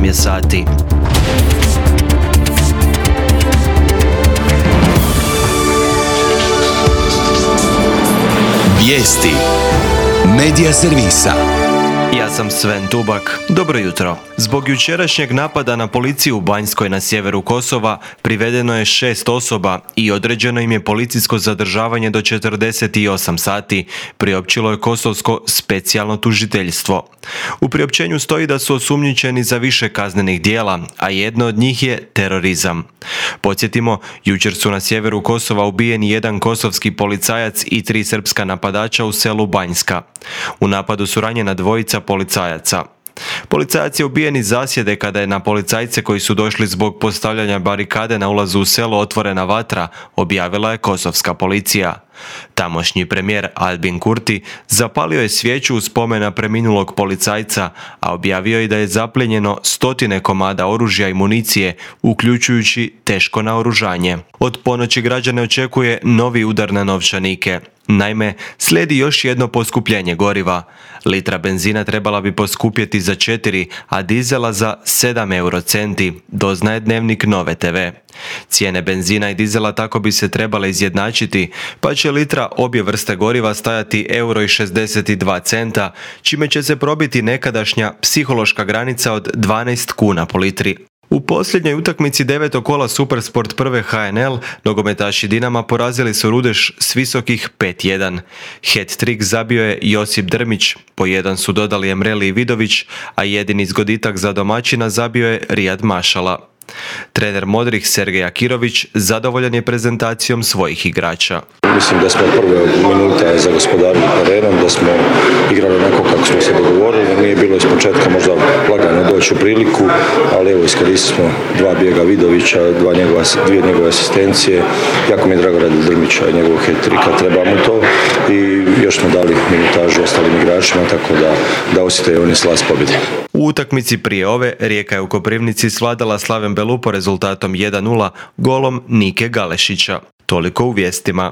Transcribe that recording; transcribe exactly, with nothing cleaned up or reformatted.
osam je sati. Vijesti Medija servisa. Ja sam Sven Tubak. Dobro jutro. Zbog jučerašnjeg napada na policiju u Banjskoj na sjeveru Kosova privedeno je šest osoba i određeno im je policijsko zadržavanje do četrdeset osam sati, priopćilo je kosovsko specijalno tužiteljstvo. U priopćenju stoji da su osumnjičeni za više kaznenih djela, a jedno od njih je terorizam. Podsjetimo, jučer su na sjeveru Kosova ubijeni jedan kosovski policajac i tri srpska napadača u selu Banjska. U napadu su ranjena dvojica policajaca. Policajac je ubijen iz zasjede kada je na policajce koji su došli zbog postavljanja barikade na ulazu u selo otvorena vatra, objavila je kosovska policija. Tamošnji premijer Albin Kurti zapalio je svijeću u spomen na preminulog policajca, a objavio je da je zaplijenjeno stotine komada oružja i municije, uključujući teško naoružanje. Od ponoći građane očekuje novi udar na novčanike. Naime, slijedi još jedno poskupljenje goriva. Litra benzina trebala bi poskupjeti za četiri, a dizela za sedam eurocenti, doznaje Dnevnik Nove te ve. Cijene benzina i dizela tako bi se trebale izjednačiti, pa će litra obje vrste goriva stajati euro i šezdeset dva centa, čime će se probiti nekadašnja psihološka granica od dvanaest kuna po litri. U posljednjoj utakmici devetog kola Supersport prve ha en el nogometaši Dinama porazili su Rudeš s visokih pet jedan. Hat-trick zabio je Josip Drmić, po jedan su dodali Emreli i Vidović, a jedini zgoditak za domaćina zabio je Rijad Mašala. Trener Modrih Sergej Akirović zadovoljan je prezentacijom svojih igrača. Mislim da smo prve minuta zagospodarili terenom, da smo igrali onako kako smo se dogovorili, nije bilo iz početka možda lagano doći u priliku, ali evo iskoristili smo dva bijega Vidovića, dva njegova, dvije njegove asistencije, jako mi je drago radi Drmića i njegovog hat-tricka, treba mu to i još smo dali minutažu ostalim igračima, tako da, da osjete oni slast pobjede. U utakmici prije ove Rijeka je u Koprivnici svladala Slaven Belupo rezultatom jedan nula golom Nike Galešića. Toliko u vijestima.